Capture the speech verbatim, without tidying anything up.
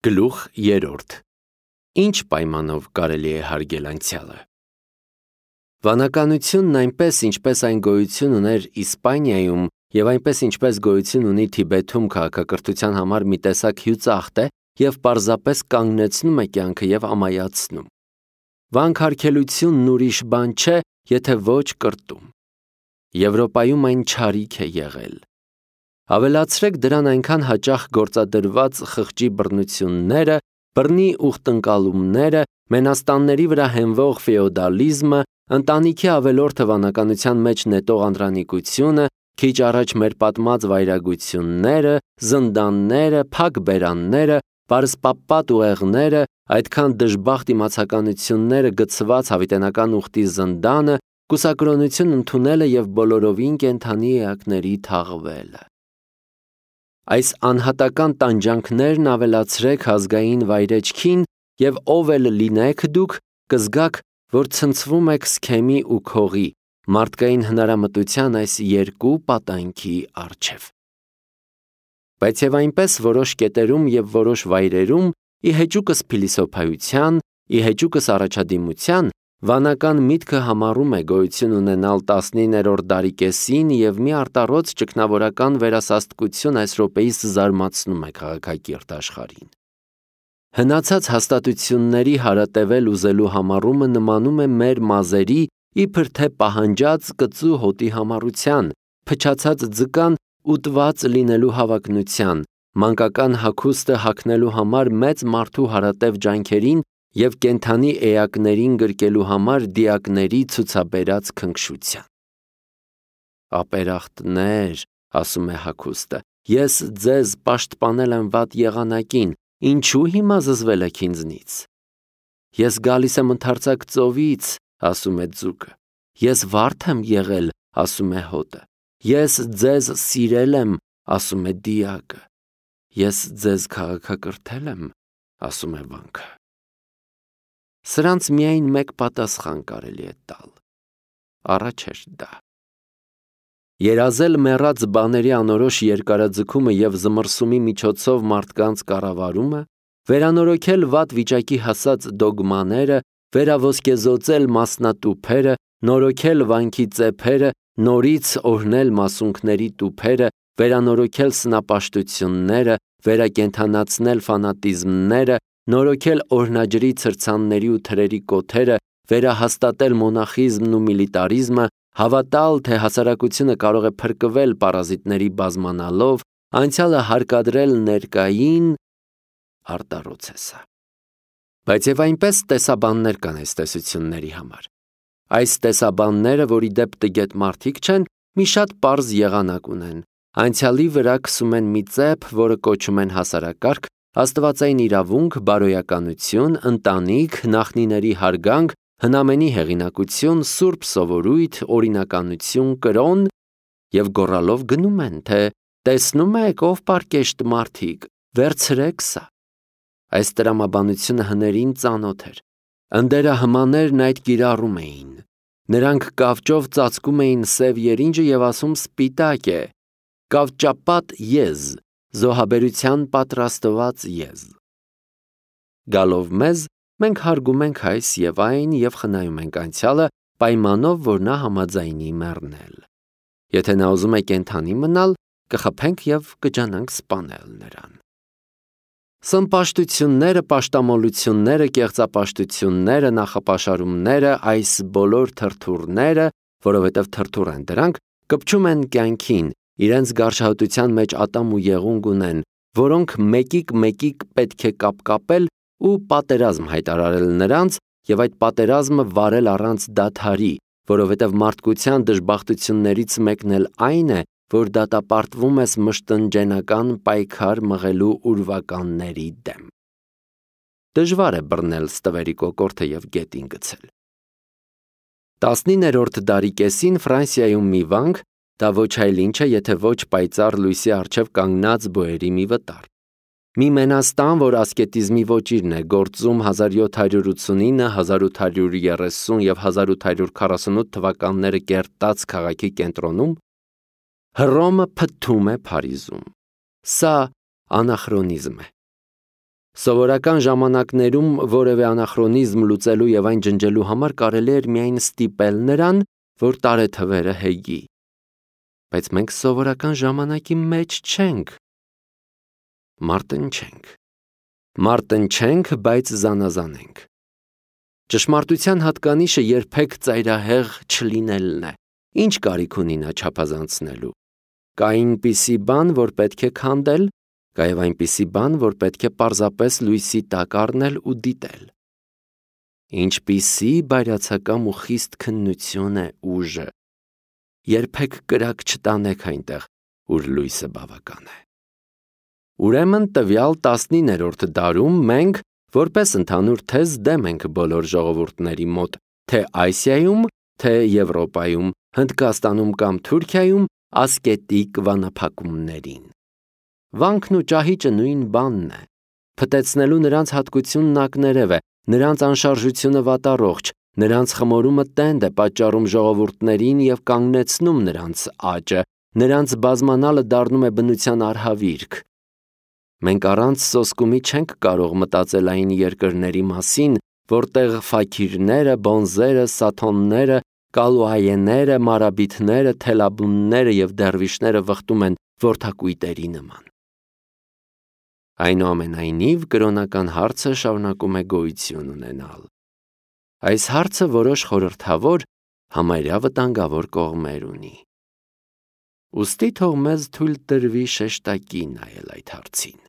Գլուխ երրորդ. Ինչ պայմանով կարելի է հարգել անցյալը։ Վանականությունն այնպես, ինչպես այն գոյություն ուներ Իսպանիայում և այնպես, ինչպես գոյություն ունի Թիբեթում քաղաքակրթության համար մի տեսակ հյուծախտ է և պարզապես կանգնեցնում է կյանքը և ամայացնում։ Վանքարգելությունն ուրիշ բան չէ, եթե ոչ կրտում։ Եվրոպայում այն չարիք է եղել։ Ավելացրեք դրան այնքան հաճախ գործադրված խղճի բռնությունները, բռնի ուխտնկալումները, մենաստանների վրա հենվող ֆեոդալիզմը, ընտանիքի ավելորդը վանականության մեջ նետող անդրանիկությունը, քիչ առաջ մեր պատմած վայրագությունները, զնդանները, փակ բերանները, պարսպապատ ուղեղները, այդքան դժբախտ իմացականությունները գցված հավիտենական ուխտի զնդանը, կուսակրոնություն ընդունելը և բոլորովին կենդանի էակների թաղվելը։ Այս անհատական տանջանքներն ավելացրեք ազգային վայրեջքին և ով էլ լինեք դուք, կզգաք, որ ցնցվում եք սքեմի ու քողի, մարդկային հնարամտության այս երկու պատանքի առջև։ Բայց և այնպես որոշ կետերում և որոշ վայրերում, ի հեճուկս փիլիսոփայության, ի հեճուկս առաջադիմության, վանական միտքը համառում է գոյություն ունենալ տասնիններորդ դարի կեսին և մի արտառոց ճգնավորական վերասաստկություն այս րոպեիս զարմացնում է քաղաքակիրթ աշխարհին։ Հնացած հաստատությունների հարատևել ուզելու համառումը նմանում է մեր մազերի, իբր թե պահանջած կծու հոտի համառության, փչացած ձկան ուտված լինելու հավակնության, մանկական հագուստը հագնելու համար մեծ մարդու հարատև ջանքերին և կենդանի էակներին գրկելու համար դիակների ցուցաբերած քնքշության։ Ապերախտներ, ասում է հագուստը, ես ձեզ պաշտպանել եմ վատ եղանակին, ինչու հիմա զզվել եք ինձնից։ Ես գալիս եմ ընդարձակ ծովից, ասում է ձուկը, ես վարդ եմ եղել, ասում է հոտը, ես ձեզ սիրել եմ, ասում է դիակը, ես ձեզ քաղաքակրթել եմ, ասում է վանքը։ Սրանց միայն մեկ պատասխան կարելի է տալ. առաջ էր դա։ Երազել մեռած բաների անորոշ երկարաձգումը և զմռսումի միջոցով մարդկանց կառավարումը, վերանորոգել վատ վիճակի հասած դոգմաները, վերաոսկեզօծել մասնատուփերը, նորոգել վանքի ծեփերը, նորից օրհնել մասունքների տուփերը, վերանորոգել սնապաշտությունները, վերակենդանացնել ֆանատիզմները, նորոգել օրհնաջրի ցրցանների ու թրերի կոթերը, վերահաստատել մոնախիզմն ու միլիտարիզմը, հավատալ, թե հասարակությունը կարող է փրկվել պարազիտների բազմանալով, անցյալը հարկադրել ներկային, արտառոց է սա։ Բայց և այնպես տեսաբաններ կան այս տեսությունների համար։ Այս տեսաբանները, որ ի դեպ տգետ մարդիկ չեն, մի շատ պարզ եղանակ ունեն, անցյալի վրա քսում են մի ծեփ, որը կոչում են հասարակարգ, աստվածային իրավունք, բարոյականություն, ընտանիք, նախնիների հարգանք, հնամենի հեղինակություն, սուրբ սովորույթ, օրինականություն, կրոն և գոռալով գնում են, թե տեսնում եք ով պարկեշտ մարդիկ, վերցրեք սա։ Այս տրամաբանությունը հներին ծանոթ էր։ Ընդերահմաներն այդ կիրառում էին։ Նրանք կավճով ծածկում էին սև երինջը և ասում սպիտակ է, կավճապատ եզ, զոհաբերության պատրաստված եզ։ Գալով մեզ, մենք հարգում ենք այս և այն և խնայում ենք անցյալը, պայմանով, որ նա համաձայնի մեռնել։ Եթե նա ուզում է կենդանի մնալ, կխփենք և կջանանք սպանել նրան։ Սնպաշտությունները, պաշտամոլությունները, կեղծապաշտությունները, նախապաշարումները, այս բոլոր թրթուրները, որովհետև թրթուր են դրանք, կպչում են կյանքին, իրենց գարշահոտության մեջ ատամ ու եղունգ ունեն, որոնք մեկիկ-մեկիկ պետք է կապկապել ու պատերազմ հայտարարել նրանց և այդ պատերազմը վարել առանց դադարի, որովհետև մարդկության դժբախտություններից մեկն էլ այն է, որ դատապարտվում ես մշտնջենական պայքար մղելու ուրվականների դեմ։ Դժվար է բռնել ստվերի կոկորդը և գետին գցել։ Տասնիններորդ դարի կեսին Ֆրանսիայում մի վանք, դա ոչ այլ ինչ է, եթե ոչ պայծառ լույսի առջև կանգնած բոյերի մի վտար։ Մի մենաստան, որ ասկետիզմի ոճիրն է, գործում հազար յոթ հարյուր ութսունինը, հազար ութ հարյուր երեսուն և հազար ութ հարյուր քառասունութ թվականները կերտած քաղաքի կենտրոնում, Հռոմը փթթում է Փարիզում։ Սա անախրոնիզմ է։ Սովորական ժամանակներում որևէ անախրոնիզմ լուծելու եւ այն ջնջելու համար կարելի էր միայն ստիպել նրան, որ տարեթվերը հեգի։ Բայց մենք սովորական ժամանակի մեջ չենք։ Մարտնչենք։ Մարտնչենք, բայց զանազանենք։ Ճշմարտության հատկանիշը երբեք ծայրահեղ չլինելն է։ Ինչ կարիք ունի նա չափազանցնելու։ Կա այնպիսի բան, որ պետք է քանդել, կա եւ այնպիսի բան, որ պետք է պարզապես լույսի տակ առնել ու դիտել։ Ինչպիսի բայրացակամ ու խիստ քննություն է ուժը։ Երբեք կրակ չտանեք այնտեղ, ուր լույսը բավական է։ Ուրեմն տվյալ տասնիններորդ դարում մենք, որպես ընդհանուր թեզ, դեմ ենք բոլոր ժողովուրդների մոտ, թե Ասիայում, թե Եվրոպայում, Հնդկաստանում կամ Թուրքիայում ասկետիկ վանափակումներին։ Վանքն ու ճահիճը նույն բանն է։ Փտեցնելու նրանց հատկությունն ակներև է, նրանց անշարժությունը վատառողջ, նրանց խմորումը տենդ է պատճառում ժողովուրդներին եւ կանգնեցնում նրանց աճը, նրանց բազմանալը դառնում է բնության արհավիրք։ Մենք առանց սոսկումի չենք կարող մտածել այն երկրների մասին, որտեղ ֆաքիրները, բոնզերը, սաթոնները, կալուայեները, մարաբիթները, թելաբունները եւ դերվիշները վխտում են որդակույտերի նման։ Այնուամենայնիվ, կրոնական հարցը շարունակում է գոյություն ունենալ։ Այս հարցը որոշ խորհրդավոր, համարյա վտանգավոր կողմեր ունի։ Ուստի թող մեզ թույլ տրվի շեշտակի նայել այդ հարցին։